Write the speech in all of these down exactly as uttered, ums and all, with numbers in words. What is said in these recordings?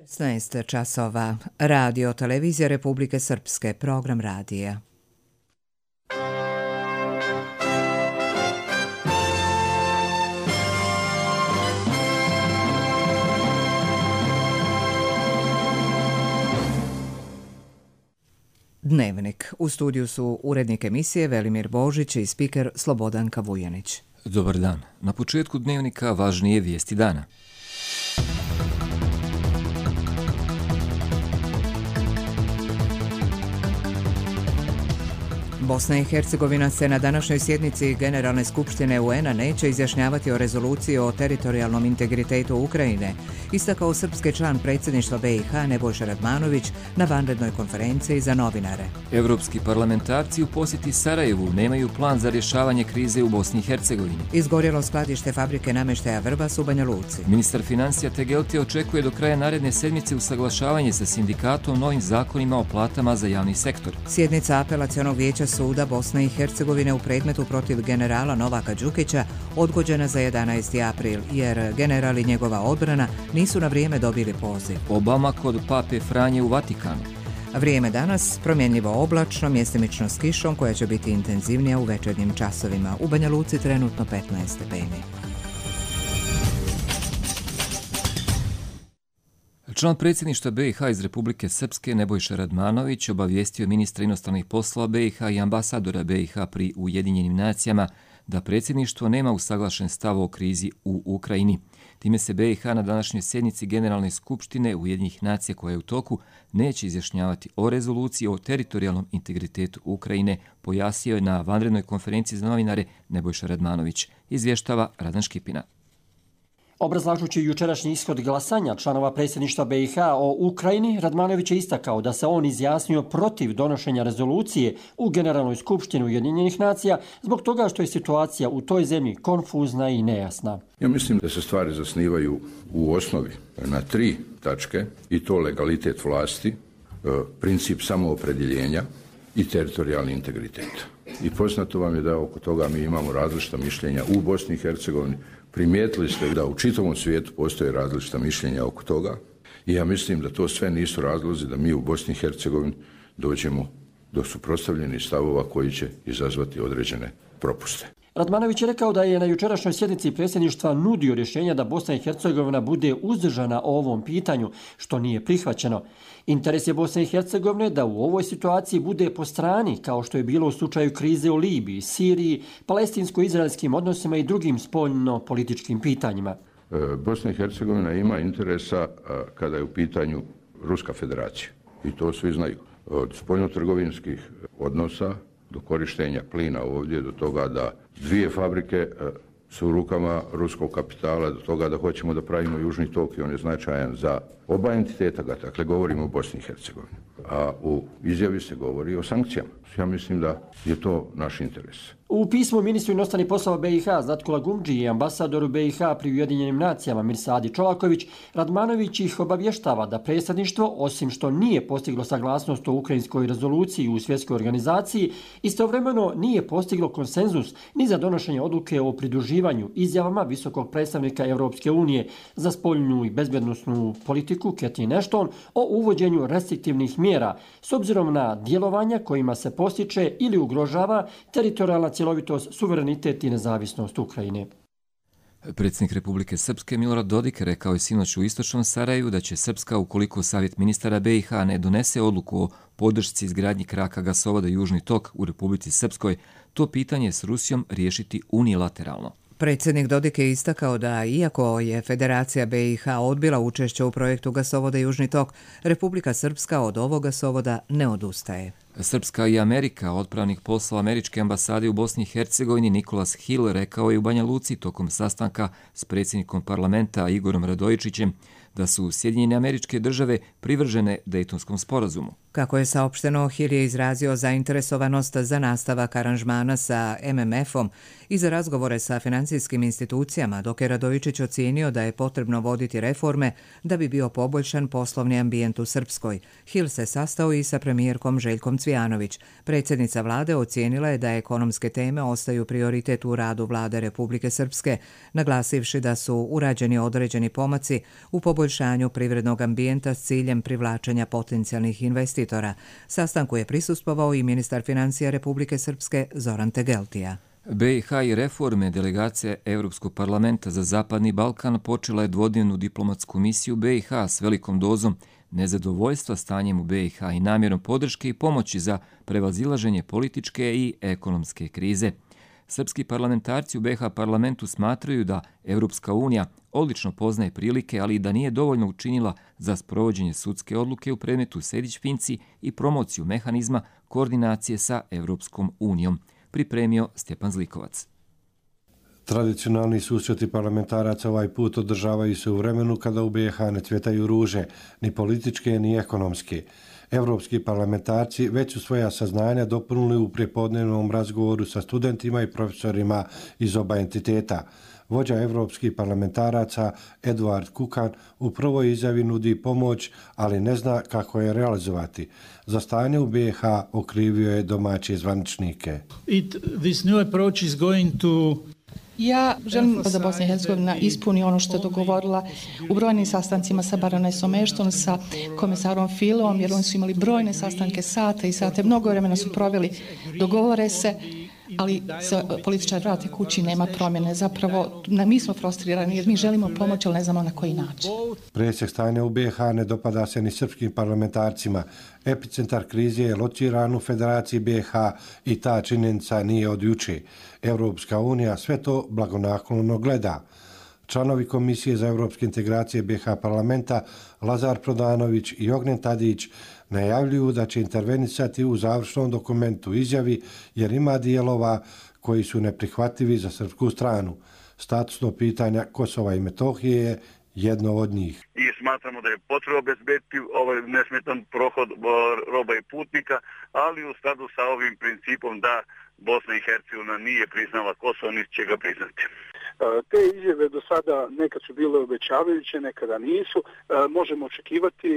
šesnaest časova. Radio Televizija Republike Srpske, program radija. Dnevnik. U studiju su urednik emisije Velimir Božić i spiker Slobodanka Vujanić. Dobar dan. Na početku dnevnika važnije vijesti dana. Bosna i Hercegovina se na današnjoj sjednici Generalne skupštine U N-a neće izjašnjavati o rezoluciji o teritorijalnom integritetu Ukrajine, istakao srpski član predsjedništva B i H Nebojša Radmanović na vanrednoj konferenciji za novinare. Evropski parlamentarci u posjeti Sarajevu nemaju plan za rješavanje krize u Bosni i Hercegovini. Izgorjelo skladište fabrike namještaja Vrbas u Banja Luci. Ministar financija Tegelti očekuje do kraja naredne sedmice usaglašavanje sa sindikatom novim zakonima o platama za javni sektor. Sjednica apelacionog vijeća Suda Bosne i Hercegovine u predmetu protiv generala Novaka Đukića odgođena za jedanaesti april, jer general i njegova odbrana nisu na vrijeme dobili poziv. Obama kod pape Franje u Vatikanu. Vrijeme danas promjenljivo oblačno, mjestimično s kišom koja će biti intenzivnija u večernjim časovima. U Banja Luci trenutno petnaest stepeni. Član predsjedništva B i H iz Republike Srpske Nebojša Radmanović obavijestio ministra inostranih poslova B i H i ambasadora B i H pri Ujedinjenim nacijama da predsjedništvo nema usaglašen stav o krizi u Ukrajini. Time se B i H na današnjoj sjednici Generalne skupštine Ujedinjenih nacija koja je u toku neće izjašnjavati o rezoluciji o teritorijalnom integritetu Ukrajine, pojasnio je na vanrednoj konferenciji za novinare Nebojša Radmanović. Izvještava Radan Škipina. Obrazlažući jučerašnji ishod glasanja članova predsjedništva B i H o Ukrajini, Radmanović je istakao da se on izjasnio protiv donošenja rezolucije u Generalnoj skupštini Ujedinjenih nacija zbog toga što je situacija u toj zemlji konfuzna i nejasna. Ja mislim da se stvari zasnivaju u osnovi na tri tačke, i to legalitet vlasti, princip samoopredjeljenja i teritorijalni integritet. I poznato vam je da oko toga mi imamo različita mišljenja u Bosni i Hercegovini. Primijetili ste da u čitavom svijetu postoje različita mišljenja oko toga i ja mislim da to sve nisu razlozi da mi u Bosni i Hercegovini dođemo do suprotstavljenih stavova koji će izazvati određene propuste. Radmanović je rekao da je na jučerašnjoj sjednici predsjedništva nudio rješenja da Bosna i Hercegovina bude uzdržana o ovom pitanju, što nije prihvaćeno. Interes je Bosne i Hercegovine da u ovoj situaciji bude po strani, kao što je bilo u slučaju krize u Libiji, Siriji, palestinsko-izraelskim odnosima i drugim spoljno-političkim pitanjima. Bosna i Hercegovina ima interesa kada je u pitanju Ruska federacija. I to svi znaju. Od spoljno-trgovinskih odnosa do korištenja plina ovdje, do toga da dvije fabrike su u rukama ruskog kapitala, do toga da hoćemo da pravimo južni tok i on je značajan za oba entiteta, dakle govorimo o Bosni i Hercegovini. A u izjavi se govori o sankcijama. Ja mislim da je to naš interes. U pismu ministru inostranih poslova B i H Zlatku Lagumdži i ambasadoru B i H pri Ujedinjenim nacijama Mirsadi Čolaković, Radmanović ih obavještava da predsjedništvo, osim što nije postiglo saglasnost o ukrajinskoj rezoluciji u svjetskoj organizaciji, istovremeno nije postiglo konsenzus ni za donošenje odluke o pridruživanju izjavama visokog predstavnika Europske unije za spoljnu i bezbednosnu politiku Catherine Ashton o uvođenju restriktivnih mjera s obzirom na djelovanja kojima se postiče ili ugrožava teritorijalna cjelovitost, suverenitet i nezavisnost Ukrajine. Predsjednik Republike Srpske Milorad Dodik rekao je sinoć u istočnom Sarajevu da će Srpska, ukoliko Savjet ministara B i H ne donese odluku o podršci izgradnji kraka gasovoda Južni tok u Republici Srpskoj, to pitanje s Rusijom riješiti unilateralno. Predsjednik Dodik je istakao da, iako je Federacija B i H odbila učešće u projektu gasovoda Južni tok, Republika Srpska od ovog gasovoda ne odustaje. Srpska i Amerika, otpravnik poslova američke ambasade u Bosni i Hercegovini Nikolas Hill rekao je u Banja Luci tokom sastanka s predsjednikom parlamenta Igorom Radojičićem da su Sjedinjene Američke Države privržene Dejtonskom sporazumu. Kako je saopšteno, Hill je izrazio zainteresovanost za nastavak aranžmana sa M M F-om i za razgovore sa financijskim institucijama, dok je Radojičić ocijenio da je potrebno voditi reforme da bi bio poboljšan poslovni ambijent u Srpskoj. Hill se sastao i sa premijerkom Željkom Cvijanović. Predsjednica vlade ocijenila je da ekonomske teme ostaju prioritet u radu vlade Republike Srpske, naglasivši da su urađeni određeni pomaci u poboljšanju privrednog ambijenta s ciljem privlačenja potencijalnih investitora. Sastanku je prisustvovao i ministar financija Republike Srpske Zoran Tegeltija. B i H i reforme delegacije Europskog parlamenta za Zapadni Balkan počela je dvodnevnu diplomatsku misiju B i H s velikom dozom nezadovoljstva stanjem u B i H i namjerom podrške i pomoći za prevazilaženje političke i ekonomske krize. Srpski parlamentarci u B i H parlamentu smatraju da Europska unija odlično poznaje prilike, ali i da nije dovoljno učinila za sprovođenje sudske odluke u predmetu Sejdić-Finci i promociju mehanizma koordinacije sa Europskom unijom, pripremio Stjepan Zlikovac. Tradicionalni susreti parlamentaraca ovaj put održavaju se u vremenu kada u B i H ne cvjetaju ruže, ni političke ni ekonomske. Evropski parlamentarci već su svoja saznanja dopunili u prijepodnevnom razgovoru sa studentima i profesorima iz oba entiteta. Vođa evropskih parlamentaraca Eduard Kukan u prvoj izjavi nudi pomoć, ali ne zna kako je realizovati. Za stanje u B i H okrivio je domaće zvaničnike. It, this new approach is going to Ja želim da Bosna i Hercegovina ispuni ono što je dogovorila u brojnim sastancima sa baronesom Ashton, sa komisarom Fileom, jer oni su imali brojne sastanke, sate i sate, mnogo vremena su proveli, dogovore se, ali se političar vrate kući, nema promjene. Zapravo, mi smo frustrirani jer mi želimo pomoć, ali ne znamo na koji način. Presjek stanja u B i H ne dopada se ni srpskim parlamentarcima. Epicentar krize je lociran u Federaciji B i H i ta činjenica nije od juče. Evropska unija sve to blagonaklono gleda. Članovi Komisije za evropske integracije B i H parlamenta Lazar Prodanović i Ognjen Tadić najavljuju da će intervenisati u završnom dokumentu izjavi jer ima dijelova koji su neprihvatljivi za srpsku stranu. Statusno pitanja Kosova i Metohije je jedno od njih. I smatramo da je potrebno obezbediti ovaj nesmetan prohod roba i putnika, ali u skladu sa ovim principom da Bosna i Hercegovina nije priznala Kosovo, niti će ga priznati. Te izjave do sada nekad su bile obećavajuće, nekada nisu. Možemo očekivati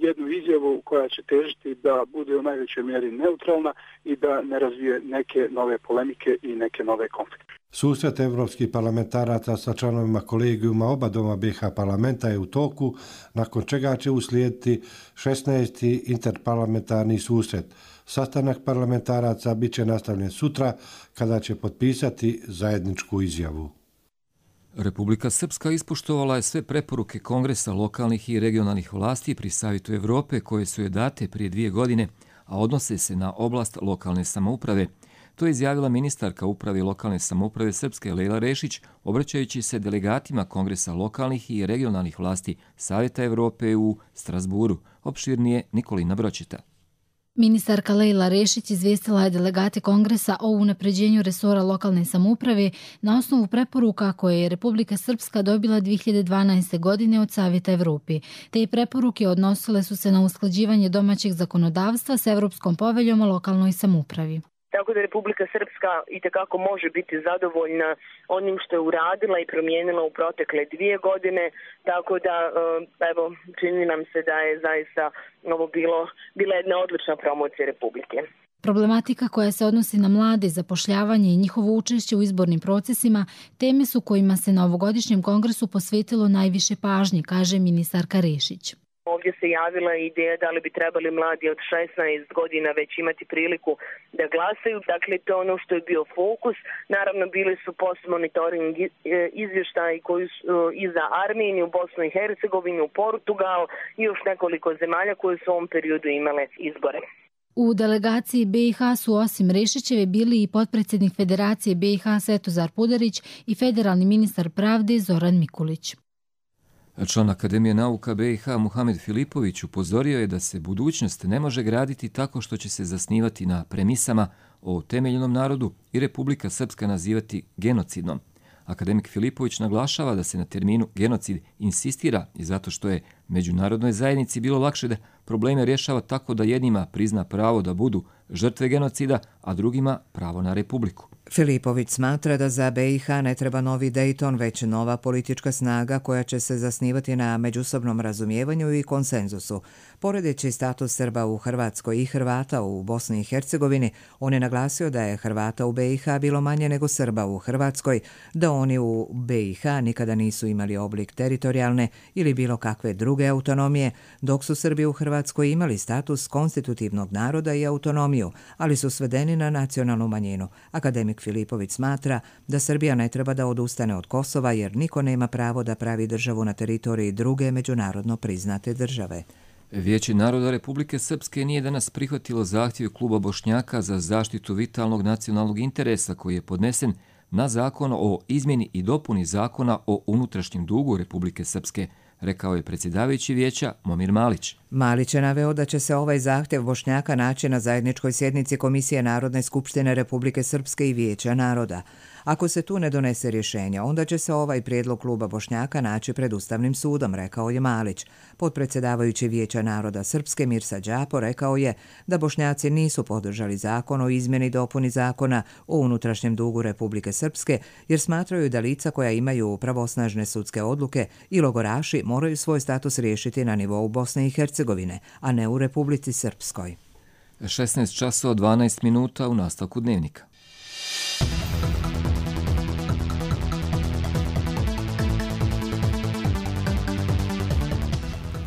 jednu izjavu koja će težiti da bude u najvećoj mjeri neutralna i da ne razvije neke nove polemike i neke nove konflikte. Susret evropskih parlamentaraca sa članovima kolegijuma oba doma B i H parlamenta je u toku, nakon čega će uslijediti šesnaesti interparlamentarni susret. Sastanak parlamentaraca bit će nastavljen sutra kada će potpisati zajedničku izjavu. Republika Srpska ispoštovala je sve preporuke Kongresa lokalnih i regionalnih vlasti pri Savjetu Evrope koje su je date prije dvije godine, a odnose se na oblast lokalne samouprave. To je izjavila ministarka uprave lokalne samouprave Srpske Lejla Rešić, obraćajući se delegatima Kongresa lokalnih i regionalnih vlasti Savjeta Evrope u Strasburu. Opširnije Nikolina Bročeta. Ministarka Lejla Rešić izvijestila je delegate Kongresa o unapređenju resora lokalne samouprave na osnovu preporuka koje je Republika Srpska dobila dvije hiljade dvanaeste. godine od Savjeta Evrope. Te preporuke odnosile su se na usklađivanje domaćeg zakonodavstva s Evropskom poveljom o lokalnoj samoupravi. Tako da Republika Srpska itekako može biti zadovoljna onim što je uradila i promijenila u protekle dvije godine, tako da evo, čini nam se da je zaista ovo bilo, bila jedna odlična promocija Republike. Problematika koja se odnosi na mlade, zapošljavanje i njihovo učešće u izbornim procesima teme su kojima se na ovogodišnjem kongresu posvetilo najviše pažnje, kaže ministarka Rešić. Ovdje se javila ideja da li bi trebali mladi od šesnaest godina već imati priliku da glasaju. Dakle, to je ono što je bio fokus. Naravno, bili su post-monitoring izvještaji koji su i za Armeniju, Bosnu i Hercegovinu, Portugal i još nekoliko zemalja koje su u ovom periodu imale izbore. U delegaciji B i H su osim Rešićeve bili i potpredsjednik Federacije B i H Svetozar Pudarić i federalni ministar pravde Zoran Mikulić. Član Akademije nauka B i H Muhamed Filipović upozorio je da se budućnost ne može graditi tako što će se zasnivati na premisama o temeljenom narodu i Republika Srpska nazivati genocidnom. Akademik Filipović naglašava da se na terminu genocid insistira i zato što je međunarodnoj zajednici bilo lakše da probleme rješava tako da jednima prizna pravo da budu žrtve genocida, a drugima pravo na republiku. Filipović smatra da za B i H ne treba novi Dayton, već nova politička snaga koja će se zasnivati na međusobnom razumijevanju i konsenzusu. Poredeći status Srba u Hrvatskoj i Hrvata u Bosni i Hercegovini, on je naglasio da je Hrvata u B i H bilo manje nego Srba u Hrvatskoj, da oni u B i H nikada nisu imali oblik teritorijalne ili bilo kakve druge autonomije, dok su Srbi u Hrvatskoj imali status konstitutivnog naroda i autonomiju, ali su svedeni na nacionalnu manjinu. Akademik Filipović smatra da Srbija ne treba da odustane od Kosova jer niko nema pravo da pravi državu na teritoriji druge međunarodno priznate države. Vijeće naroda Republike Srpske nije danas prihvatilo zahtjev kluba Bošnjaka za zaštitu vitalnog nacionalnog interesa koji je podnesen na zakon o izmjeni i dopuni zakona o unutrašnjem dugu Republike Srpske, rekao je predsjedavajući vijeća Momir Malić. Malić je naveo da će se ovaj zahtjev Bošnjaka naći na zajedničkoj sjednici Komisije Narodne skupštine Republike Srpske i Vijeća naroda. Ako se tu ne donese rješenje, onda će se ovaj prijedlog kluba Bošnjaka naći pred Ustavnim sudom, rekao je Malić. Potpredsjedavajući Vijeća naroda Srpske Mirsa Đapo rekao je da Bošnjaci nisu podržali zakon o izmjeni i dopuni zakona o unutrašnjem dugu Republike Srpske jer smatraju da lica koja imaju pravosnažne sudske odluke i logoraši moraju svoj status riješiti na nivou Bosne i Hercegovine, a ne u Republici Srpskoj. šesnaest časova dvanaest minuta u nastavku dnevnika.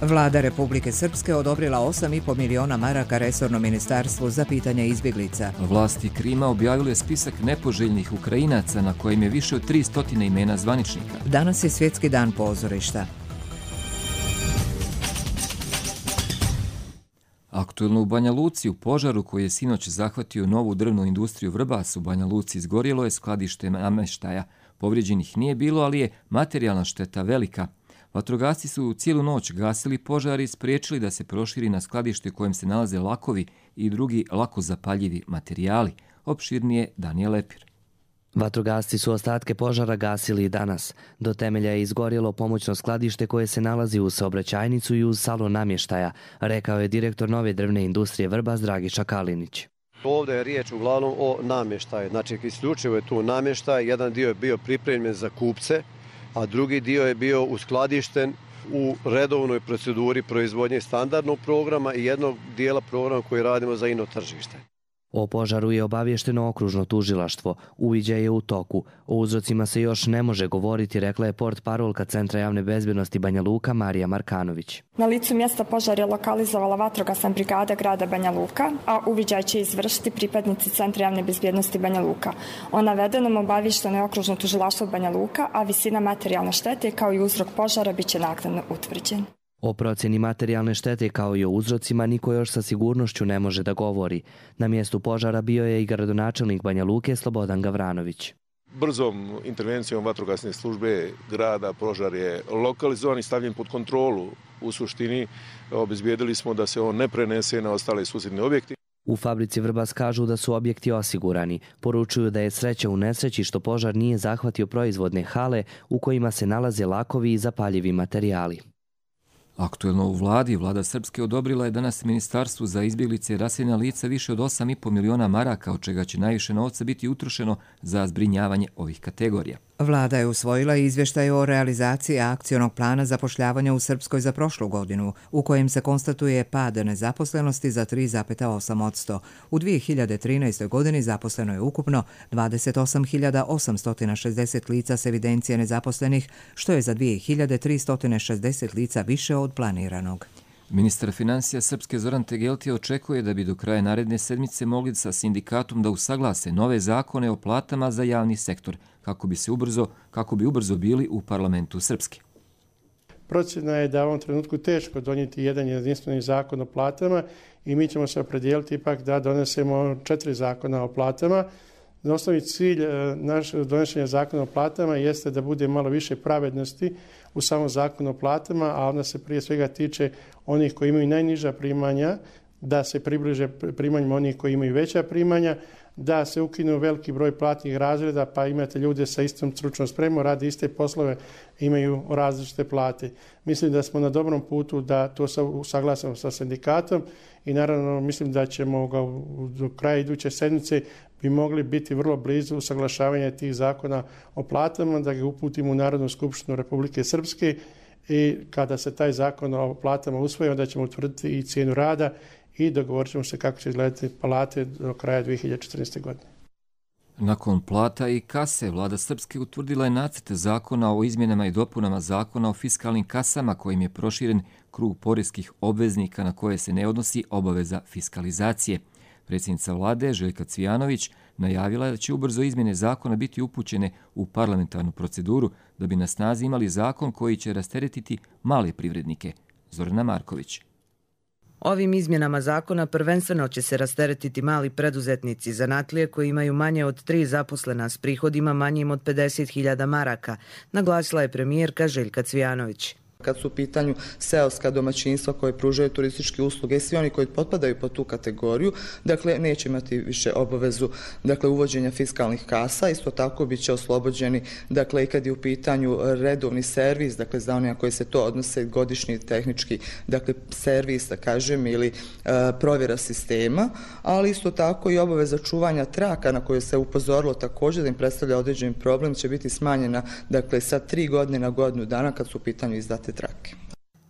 Vlada Republike Srpske odobrila osam i po miliona maraka resornom ministarstvu za pitanje izbjeglica. Vlasti Krima objavile spisak nepoželjnih Ukrajinaca na kojem je više od tristo imena zvaničnika. Danas je Svjetski dan pozorišta. Aktuelno u Banja Luci, u požaru koji je sinoć zahvatio novu drvnu industriju Vrbas u Banja Luci, izgorjelo je skladište namještaja. Povrijeđenih nije bilo, ali je materijalna šteta velika. Vatrogasci su cijelu noć gasili požar i spriječili da se proširi na skladište u kojem se nalaze lakovi i drugi lako zapaljivi materijali. Opširnije Danijel Lepir. Vatrogasci su ostatke požara gasili i danas. Do temelja je izgorjelo pomoćno skladište koje se nalazi uz saobraćajnicu i uz salon namještaja, rekao je direktor nove drvne industrije Vrbas Dragiša Kalinić. Ovdje je riječ uglavnom o namještaju. Znači, isključivo je tu namještaj. Jedan dio je bio pripremljen za kupce, a drugi dio je bio uskladišten u redovnoj proceduri proizvodnje standardnog programa i jednog dijela programa koji radimo za ino tržište. O požaru je obavješteno okružno tužilaštvo. Uviđaj je u toku. O uzrocima se još ne može govoriti, rekla je portparolka Centra javne bezbjednosti Banja Luka Marija Markanović. Na licu mjesta požar je lokalizovala vatrogasna brigada grada Banja Luka, a uviđaj će izvršiti pripadnici Centra javne bezbjednosti Banja Luka. O navedenom obavješteno je okružno tužilaštvo Banja Luka, a visina materijalne štete kao i uzrok požara bit će naknadno utvrđen. O procjeni materijalne štete kao i o uzrocima niko još sa sigurnošću ne može da govori. Na mjestu požara bio je i gradonačelnik Banja Luke Slobodan Gavranović. Brzom intervencijom vatrogasne službe grada požar je lokalizovan i stavljen pod kontrolu. U suštini obezbijedili smo da se on ne prenese na ostale susjedne objekte. U fabrici Vrbas kažu da su objekti osigurani. Poručuju da je sreća u nesreći što požar nije zahvatio proizvodne hale u kojima se nalaze lakovi i zapaljivi materijali. Aktuelno u vladi, vlada Srpske odobrila je danas ministarstvu za izbjeglice i raseljena lica više od osam i po miliona maraka, od čega će najviše novca biti utrošeno za zbrinjavanje ovih kategorija. Vlada je usvojila izvještaj o realizaciji akcionog plana zapošljavanja u Srpskoj za prošlu godinu, u kojem se konstatuje pad nezaposlenosti za tri zarez osam posto. U dvije hiljade trinaestoj. godini zaposleno je ukupno dvadeset osam hiljada osamsto šezdeset lica s evidencije nezaposlenih, što je za dvije hiljade tristo šezdeset lica više od planiranog. Ministar financija Srpske Zoran Tegelti očekuje da bi do kraja naredne sedmice mogli sa sindikatom da usaglase nove zakone o platama za javni sektor, kako bi se ubrzo, kako bi ubrzo bili u parlamentu Srpske. Procjena je da u ovom trenutku teško donijeti jedan jedinstveni zakon o platama i mi ćemo se opredijeliti ipak da donesemo četiri zakona o platama. Osnovni cilj našeg donošenja zakona o platama jeste da bude malo više pravednosti u samom zakonu o platama, a onda se prije svega tiče onih koji imaju najniža primanja, da se približe primanjima onih koji imaju veća primanja, da se ukinu veliki broj platnih razreda, pa imate ljude sa istom stručnom spremom, rade iste poslove, imaju različite plate. Mislim da smo na dobrom putu da to usaglasimo sa sindikatom i naravno mislim da ćemo ga do kraja iduće sedmice bi mogli biti vrlo blizu usaglašavanja tih zakona o platama, da ga uputimo u Narodnu skupštinu Republike Srpske i kada se taj zakon o platama usvoji, onda ćemo utvrditi i cijenu rada i dogovorit ćemo se kako će izgledati plate do kraja dvije hiljade četrnaeste. godine. Nakon plata i kase, vlada Srpske utvrdila je nacrt zakona o izmjenama i dopunama zakona o fiskalnim kasama kojim je proširen krug poreskih obveznika na koje se ne odnosi obaveza fiskalizacije. Predsjednica vlade Željka Cvijanović najavila je da će ubrzo izmjene zakona biti upućene u parlamentarnu proceduru da bi na snazi imali zakon koji će rasteretiti male privrednike. Zorana Marković. Ovim izmjenama zakona prvenstveno će se rasteretiti mali preduzetnici, zanatlije koji imaju manje od tri zaposlena s prihodima manjim od pedeset hiljada maraka, naglasila je premijerka Željka Cvijanović. Kad su u pitanju seoska domaćinstva koje pružaju turističke usluge i svi oni koji potpadaju pod tu kategoriju, dakle neće imati više obavezu dakle uvođenja fiskalnih kasa, isto tako bit će oslobođeni dakle i kad je u pitanju redovni servis, dakle za one koji se to odnose godišnji tehnički dakle servis, da kažem, ili e, provjera sistema, ali isto tako i obaveza čuvanja traka na koje se upozorilo također da im predstavlja određeni problem će biti smanjena dakle sa tri godine na godinu dana kad su u pitanju izdate trake.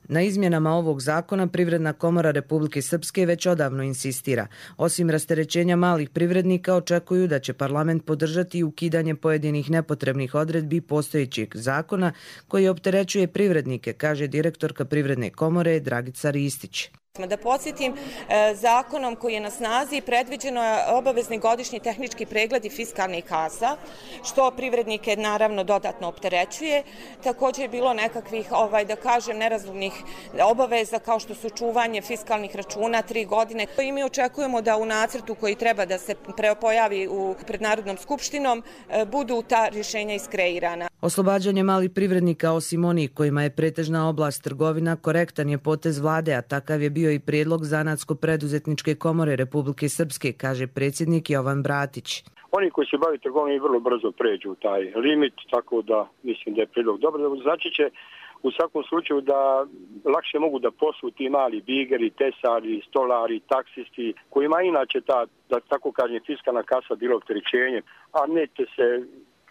Na izmjenama ovog zakona Privredna komora Republike Srpske već odavno insistira. Osim rasterećenja malih privrednika, očekuju da će parlament podržati i ukidanje pojedinih nepotrebnih odredbi postojećeg zakona koji opterećuje privrednike, kaže direktorka Privredne komore Dragica Ristić. Da podsjetim, zakonom koji je na snazi predviđeno je obavezni godišnji tehnički pregled i fiskalnih kasa, što privrednike naravno dodatno opterećuje. Također je bilo nekakvih, ovaj, da kažem, nerazumnih obaveza kao što su čuvanje fiskalnih računa tri godine. I mi očekujemo da u nacrtu koji treba da se pojavi u, pred Narodnom skupštinom budu ta rješenja iskreirana. Oslobađanje malih privrednika, osim onih kojima je pretežna oblast trgovina, korektan je potez vlade, a takav je bio i prijedlog Zanatsko-preduzetničke komore Republike Srpske, kaže predsjednik Jovan Bratić. Oni koji se bavi trgovinom vrlo brzo pređu taj limit, tako da mislim da je prijedlog dobro. Znači će u svakom slučaju da lakše mogu da poslu ti mali bigeri, tesari, stolari, taksisti, kojima inače ta, da tako kažem, fiskalna kasa bilo opterećenje, a neće se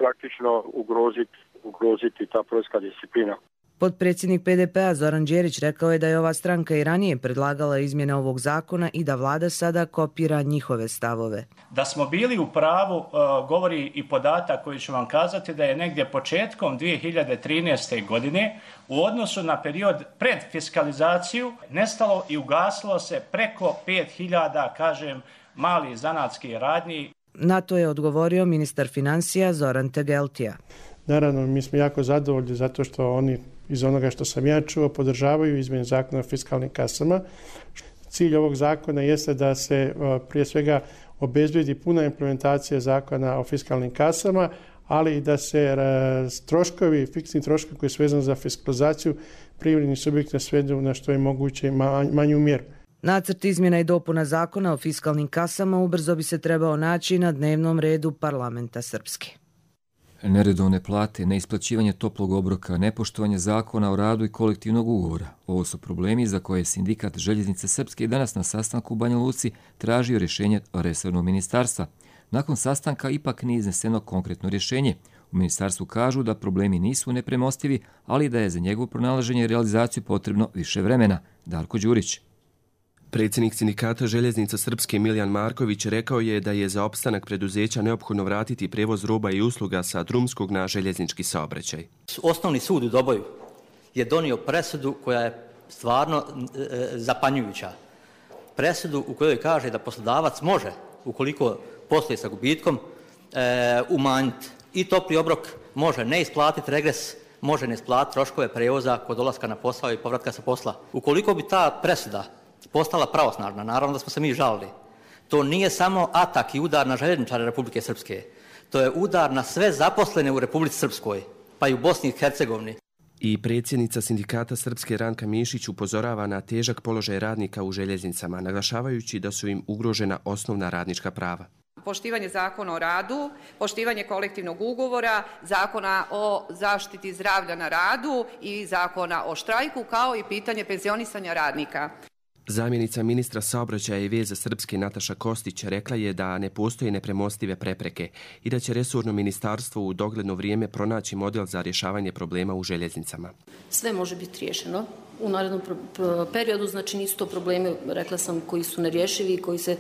praktično ugroziti, ugroziti ta poreska disciplina. Potpredsjednik P D P-a Zoran Đerić rekao je da je ova stranka i ranije predlagala izmjene ovog zakona i da vlada sada kopira njihove stavove. Da smo bili u pravu govori i podatak koji ću vam kazati da je negdje početkom dvije hiljade trinaeste. godine u odnosu na period pred fiskalizaciju nestalo i ugasilo se preko pet hiljada, kažem, malih zanatskih radnji. Na to je odgovorio ministar financija Zoran Tegeltija. Naravno, mi smo jako zadovoljni zato što oni iz onoga što sam ja čuo podržavaju izmjene zakona o fiskalnim kasama. Cilj ovog zakona jeste da se prije svega obezbedi puna implementacija zakona o fiskalnim kasama, ali i da se troškovi, fiksni troškovi koji su vezani za fiskalizaciju privrednih subjekta svedu na što je moguće manju mjeru. Nacrt izmjena i dopuna zakona o fiskalnim kasama ubrzo bi se trebao naći na dnevnom redu parlamenta Srpske. Neredovne plate, neisplaćivanje toplog obroka, nepoštovanje zakona o radu i kolektivnog ugovora. Ovo su problemi za koje je sindikat Željeznice Srpske i danas na sastanku u Banja Luci tražio rješenje resornog ministarstva. Nakon sastanka ipak nije izneseno konkretno rješenje. U ministarstvu kažu da problemi nisu nepremostivi, ali da je za njegovo pronalaženje i realizaciju potrebno više vremena. Darko Đurić. Predsjednik sindikata Željeznica Srpske Miljan Marković rekao je da je za opstanak preduzeća neophodno vratiti prevoz roba i usluga sa drumskog na željeznički saobraćaj. Osnovni sud u Doboju je donio presudu koja je stvarno e, zapanjujuća. Presudu u kojoj kaže da poslodavac može, ukoliko posluje sa gubitkom, e, umanjiti i topli obrok, može ne isplatiti regres, može ne isplatiti troškove prevoza kod dolaska na posao i povratka sa posla. Ukoliko bi ta presuda postala pravosnažna, naravno da smo se mi žalili. To nije samo atak i udar na željezničare Republike Srpske. To je udar na sve zaposlene u Republici Srpskoj, pa i u Bosni i Hercegovini. I predsjednica sindikata Srpske Ranka Mišić upozorava na težak položaj radnika u željeznicama, naglašavajući da su im ugrožena osnovna radnička prava. Poštivanje zakona o radu, poštivanje kolektivnog ugovora, zakona o zaštiti zdravlja na radu i zakona o štrajku, kao i pitanje penzionisanja radnika. Zamjenica ministra saobraćaja i veza Srpske Nataša Kostić rekla je da ne postoje nepremostive prepreke i da će resorno ministarstvo u dogledno vrijeme pronaći model za rješavanje problema u željeznicama. Sve može biti riješeno u narednom periodu, znači nisu to problemi, rekla sam, koji su nerješivi i koji se,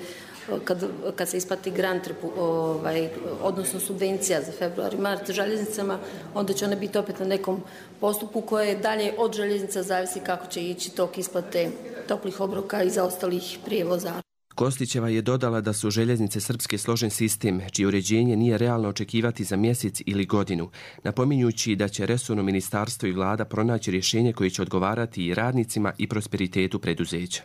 kad, kad se isplati grant, ovaj, odnosno subvencija za februar i mart željeznicama, onda će one biti opet na nekom postupku koje dalje od željeznica zavisi kako će ići tok isplate toplih obroka i za ostalih prijevoza. Kostićeva je dodala da su željeznice Srpske složen sistem, čije uređenje nije realno očekivati za mjesec ili godinu, napominjući da će resorno ministarstvo i vlada pronaći rješenje koje će odgovarati i radnicima i prosperitetu preduzeća.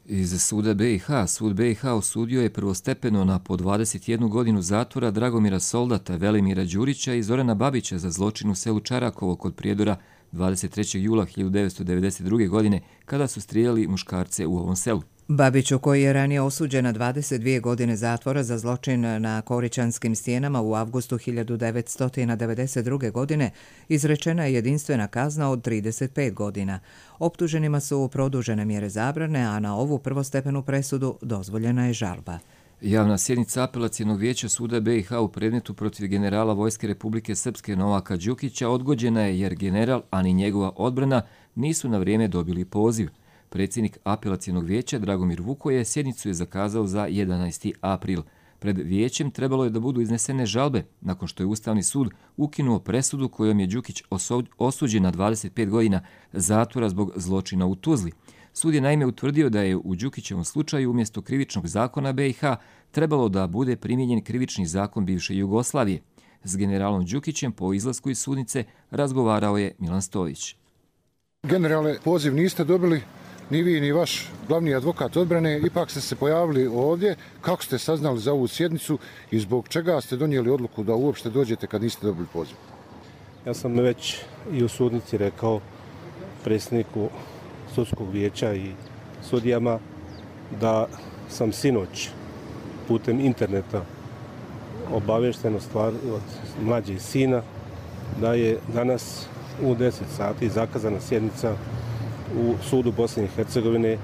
Iz suda B i H, sud B i H osudio je prvostepeno na po dvadeset jednu godinu zatvora Dragomira Soldata, Velimira Đurića i Zorana Babića za zločin u selu Čarakovo kod Prijedora dvadeset trećeg jula hiljadu devetsto devedeset druge. godine kada su strijeljali muškarce u ovom selu. Babiću, koji je ranije osuđen na dvadeset dvije godine zatvora za zločin na Koričanskim stijenama u avgustu hiljadu devetsto devedeset druge. godine, izrečena je jedinstvena kazna od trideset pet godina. Optuženima su produžene mjere zabrane, a na ovu prvostepenu presudu dozvoljena je žalba. Javna sjednica apelacijenog vijeća suda B i H u predmetu protiv generala Vojske Republike Srpske Novaka Đukića odgođena je jer general, a ni njegova odbrana nisu na vrijeme dobili poziv. Predsjednik apelacijenog vijeća Dragomir Vukoje sjednicu je zakazao za jedanaesti april. Pred vijećem trebalo je da budu iznesene žalbe, nakon što je Ustavni sud ukinuo presudu kojom je Đukić osuđen na dvadeset pet godina zatvora zbog zločina u Tuzli. Sud je naime utvrdio da je u Đukićevom slučaju umjesto krivičnog zakona B i H trebalo da bude primijenjen krivični zakon bivše Jugoslavije. S generalom Đukićem po izlasku iz sudnice razgovarao je Milan Stojić. Generale, poziv niste dobili, ni vi ni vaš glavni advokat odbrane, ipak ste se pojavili ovdje. Kako ste saznali za ovu sjednicu i zbog čega ste donijeli odluku da uopšte dođete kad niste dobili poziv? Ja sam već i u sudnici rekao predsjedniku sudskog vijeća i sudijama da sam sinoć putem interneta obavješteno stvar od mlađeg sina da je danas u deset sati zakazana sjednica u sudu Bosne i Hercegovine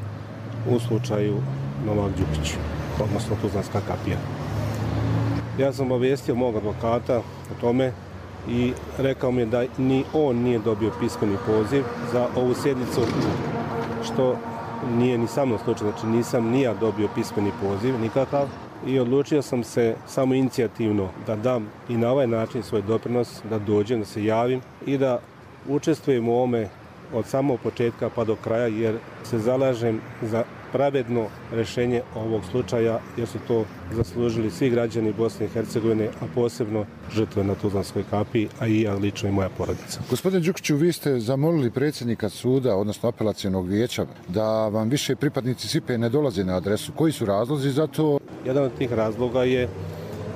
u slučaju Novak Đukić, odnosno Tuzlanska kapija. Ja sam obavijestio mog advokata o tome i rekao mi je da ni on nije dobio pismeni poziv za ovu sjednicu, što nije ni sa mnom slučaj, znači nisam ni ja dobio pismeni poziv nikakav i odlučio sam se samo inicijativno da dam i na ovaj način svoj doprinos, da dođem, da se javim i da učestvujem u ovome od samog početka pa do kraja, jer se zalažem za pravedno rješenje ovog slučaja, jer su to zaslužili svi građani Bosne i Hercegovine, a posebno žrtve na Tuzlanskoj kapiji, a i ja lično i moja porodica. Gospodin Đukiću, vi ste zamolili predsjednika suda, odnosno apelacijenog vijeća, da vam više pripadnici S I P E ne dolaze na adresu. Koji su razlozi za to? Jedan od tih razloga je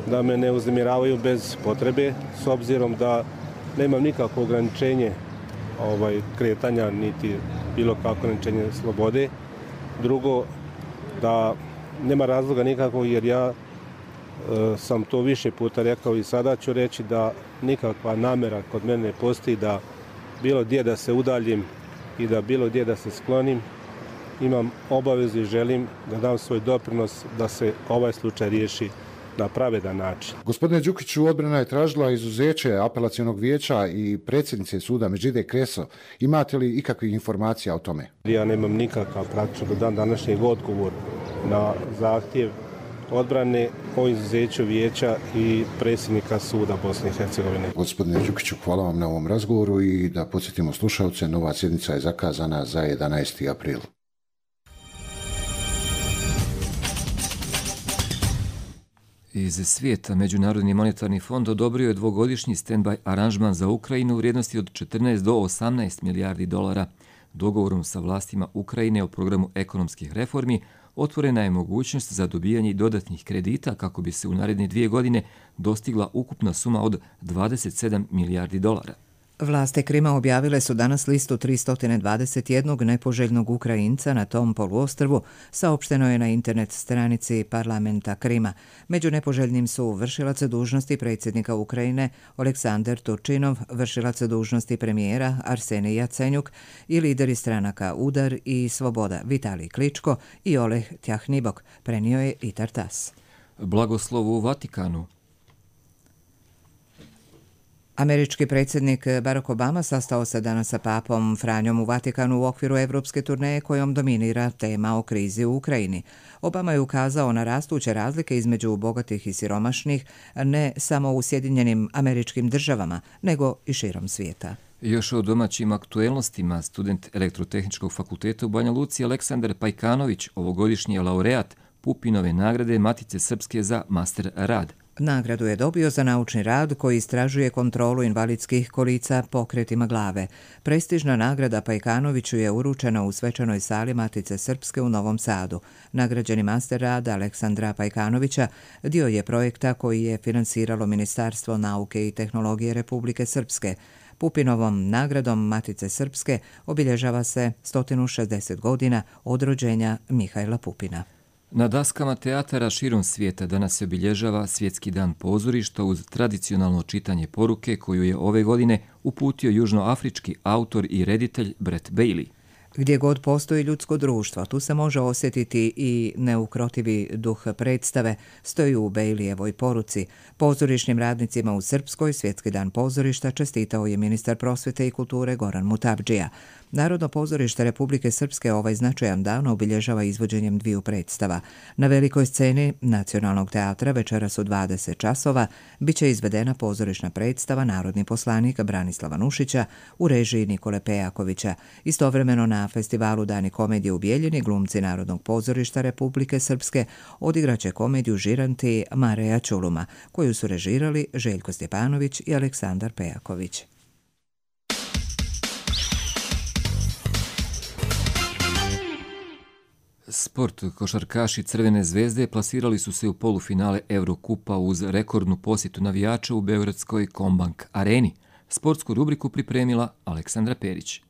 da me ne uznemiravaju bez potrebe, s obzirom da nemam nikakvo ograničenje ovaj, kretanja, niti bilo kako ograničenje slobode. Drugo, da nema razloga nikako, jer ja e, sam to više puta rekao i sada ću reći da nikakva namjera kod mene ne postoji da bilo gdje da se udaljim i da bilo gdje da se sklonim. Imam obavezu i želim da dam svoj doprinos da se ovaj slučaj riješi na pravedan način. Gospodine Đukiću, odbrana je tražila izuzeće apelacijonog vijeća i predsjednice suda Međide Kreso. Imate li ikakvih informacija o tome? Ja nemam nikakav praktično do dan današnjeg odgovor na zahtjev odbrane o izuzeću vijeća i predsjednika suda Bosne i Hercegovine. Gospodine Đukiću, hvala vam na ovom razgovoru i da podsjetimo slušalce, nova sjednica je zakazana za jedanaesti april. Iz svijeta Međunarodni monetarni fond odobrio je dvogodišnji stand-by aranžman za Ukrajinu u vrijednosti od četrnaest do osamnaest milijardi dolara. Dogovorom sa vlastima Ukrajine o programu ekonomskih reformi otvorena je mogućnost za dobijanje dodatnih kredita kako bi se u naredne dvije godine dostigla ukupna suma od dvadeset sedam milijardi dolara. Vlasti Krima objavile su danas listu tristo dvadeset jedan nepoželjnog Ukrajinca na tom poluostrvu, saopšteno je na internet stranici parlamenta Krima. Među nepoželjnim su vršilac dužnosti predsjednika Ukrajine Oleksandar Turčinov, vršilac dužnosti premijera Arsenij Jacenjuk i lideri stranaka Udar i Svoboda Vitalij Kličko i Oleh Tjahnibok, prenio je i Tartas. Blagoslov u Vatikanu. Američki predsjednik Barack Obama sastao se danas sa papom Franjom u Vatikanu u okviru evropske turneje kojom dominira tema o krizi u Ukrajini. Obama je ukazao na rastuće razlike između bogatih i siromašnih, ne samo u Sjedinjenim Američkim Državama, nego i širom svijeta. Još o domaćim aktuelnostima, student Elektrotehničkog fakulteta u Banja Luci Aleksandar Pajkanović, ovogodišnji laureat Pupinove nagrade Matice Srpske za master rad. Nagradu je dobio za naučni rad koji istražuje kontrolu invalidskih kolica pokretima glave. Prestižna nagrada Pajkanoviću je uručena u svečanoj sali Matice Srpske u Novom Sadu. Nagrađeni master rad Aleksandra Pajkanovića dio je projekta koji je finansiralo Ministarstvo nauke i tehnologije Republike Srpske. Pupinovom nagradom Matice Srpske obilježava se sto šezdeset godina od rođenja Mihajla Pupina. Na daskama teatara širom svijeta danas se obilježava Svjetski dan pozorišta uz tradicionalno čitanje poruke koju je ove godine uputio južnoafrički autor i reditelj Brett Bailey. Gdje god postoji ljudsko društvo, tu se može osjetiti i neukrotivi duh predstave, stoji u Baileyevoj poruci. Pozorišnim radnicima u Srpskoj Svjetski dan pozorišta čestitao je ministar prosvjete i kulture Goran Mutavdžija. Narodno pozorište Republike Srpske ovaj značajan dan obilježava izvođenjem dviju predstava. Na velikoj sceni Nacionalnog teatra večeras u dvadeset časova bit će izvedena pozorišna predstava Narodni poslanik Branislava Nušića u režiji Nikole Pejakovića. Istovremeno na festivalu Dani komedije u Bijeljini glumci Narodnog pozorišta Republike Srpske odigraće komediju Žiranti Mareja Čuluma, koju su režirali Željko Stjepanović i Aleksandar Pejaković. Sport. Košarkaši Crvene zvezde plasirali su se u polufinale Eurokupa uz rekordnu posjetu navijača u beogradskoj Kombank areni. Sportsku rubriku pripremila Aleksandra Perić.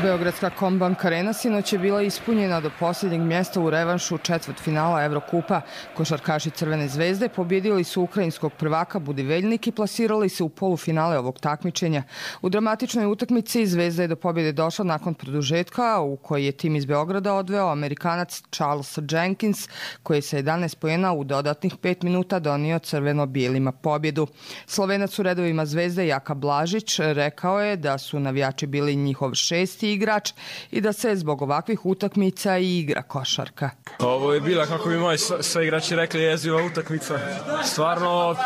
Beogradska Kombank arena sinoć je bila ispunjena do posljednjeg mjesta u revanšu četvrtfinala Evrokupa. Košarkaši Crvene zvezde pobjedili su ukrajinskog prvaka Budiveljnik i plasirali se u polufinale ovog takmičenja. U dramatičnoj utakmici Zvezda je do pobjede došla nakon produžetka u kojoj je tim iz Beograda odveo Amerikanac Charles Jenkins, koji je sa jedanaest poena u dodatnih pet minuta donio crveno-bijelima pobjedu. Slovenac u redovima Zvezde Jaka Blažić rekao je da su navijači bili njihov šesti igrač i da se zbog ovakvih utakmica i igra košarka. Ovo je bila, kako bi moji sve igrači rekli, jeziva utakmica. Stvarno,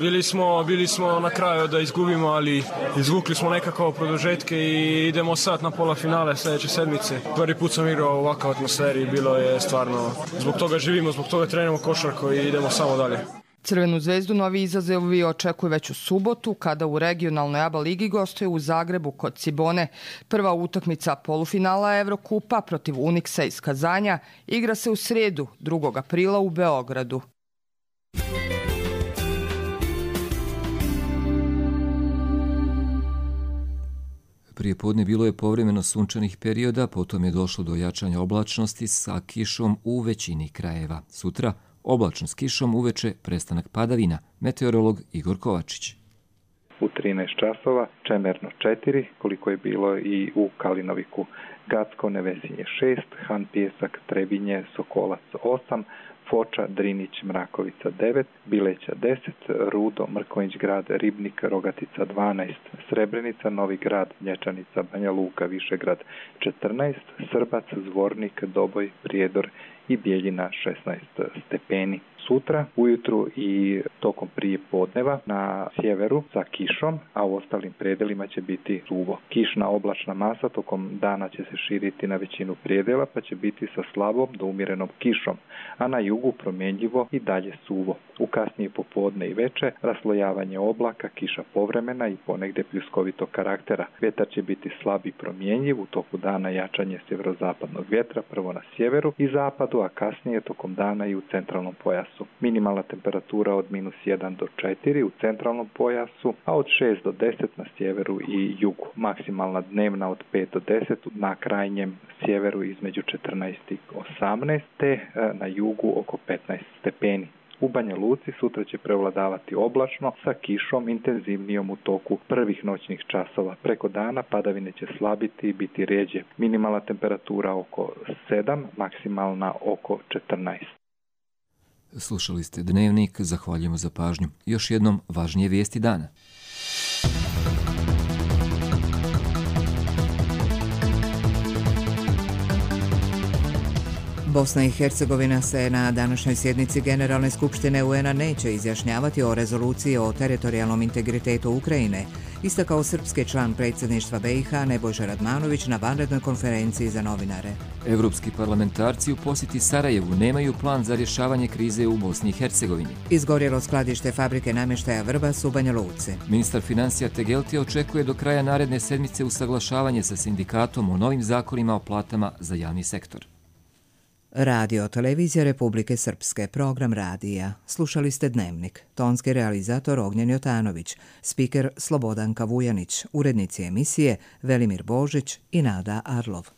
bili smo, bili smo na kraju da izgubimo, ali izvukli smo nekako produžetke i idemo sad na pola finale sljedeće sedmice. Prvi put sam igrao u ovakvoj atmosferi, bilo je stvarno, zbog toga živimo, zbog toga treniramo košarku i idemo samo dalje. Crvenu zvezdu novi izazovi očekuje već u subotu, kada u regionalnoj A B A ligi gostuje u Zagrebu kod Cibone. Prva utakmica polufinala Evrokupa protiv Uniksa iz Kazanja igra se u srijedu, drugog aprila u Beogradu. Prije podne bilo je povremeno sunčanih perioda, potom je došlo do jačanja oblačnosti sa kišom u većini krajeva. Sutra oblačno s kišom, uveče prestanak padavina. Meteorolog Igor Kovačić. U trinaest časova Čemerno četiri, koliko je bilo i u Kalinoviku. Gacko, Nevesinje šest, Han Pijesak, Trebinje, Sokolac osam, Foča, Drinić, Mrakovica devet, Bileća deset, Rudo, Mrkonjić grad, Ribnik, Rogatica dvanaest, Srebrenica, Novi grad, Nječanica, Banja Luka, Višegrad četrnaest, Srbac, Zvornik, Doboj, Prijedor i Bijeljina šesnaest stepeni. Sutra ujutru i tokom prije podneva na sjeveru sa kišom, a u ostalim predelima će biti suvo. Kišna oblačna masa tokom dana će se širiti na većinu predela, pa će biti sa slabom do umjerenom kišom, a na jugu promjenjivo i dalje suvo. U kasnije popodne i veče raslojavanje oblaka, kiša povremena i ponegdje pljuskovitog karaktera. Vjetar će biti slab i promjenjiv, u toku dana jačanje sjeverozapadnog vjetra, prvo na sjeveru i zapadu, Banatu, a kasnije tokom dana i u centralnom pojasu. Minimalna temperatura od minus jedan do četiri u centralnom pojasu, a od šest do deset na sjeveru i jugu. Maksimalna dnevna od pet do deset na krajnjem sjeveru između četrnaest i osamnaest, te na jugu oko petnaest stepeni. U Banja Luci sutra će prevladavati oblačno sa kišom intenzivnijom u toku prvih noćnih časova. Preko dana padavine će slabiti i biti rjeđe. Minimalna temperatura oko sedam, maksimalna oko četrnaest. Slušali ste Dnevnik, zahvaljujemo za pažnju. Još jednom važnije vijesti dana. Bosna i Hercegovina se na današnjoj sjednici Generalne skupštine U N-a neće izjašnjavati o rezoluciji o teritorijalnom integritetu Ukrajine, istakao srpski član predsjedništva B i H Nebojša Radmanović na vanrednoj konferenciji za novinare. Evropski parlamentarci u posjeti Sarajevu nemaju plan za rješavanje krize u Bosni i Hercegovini. Izgorjelo skladište fabrike namještaja Vrbas u Banja Luci. Ministar financija Tegelti očekuje do kraja naredne sedmice usaglašavanje sa sindikatom o novim zakonima o platama za javni sektor. Radio Televizija Republike Srpske, program radija. Slušali ste Dnevnik. Tonski realizator Ognjen Jotanović, spiker Slobodanka Vujanić, urednici emisije Velimir Božić i Nada Arlov.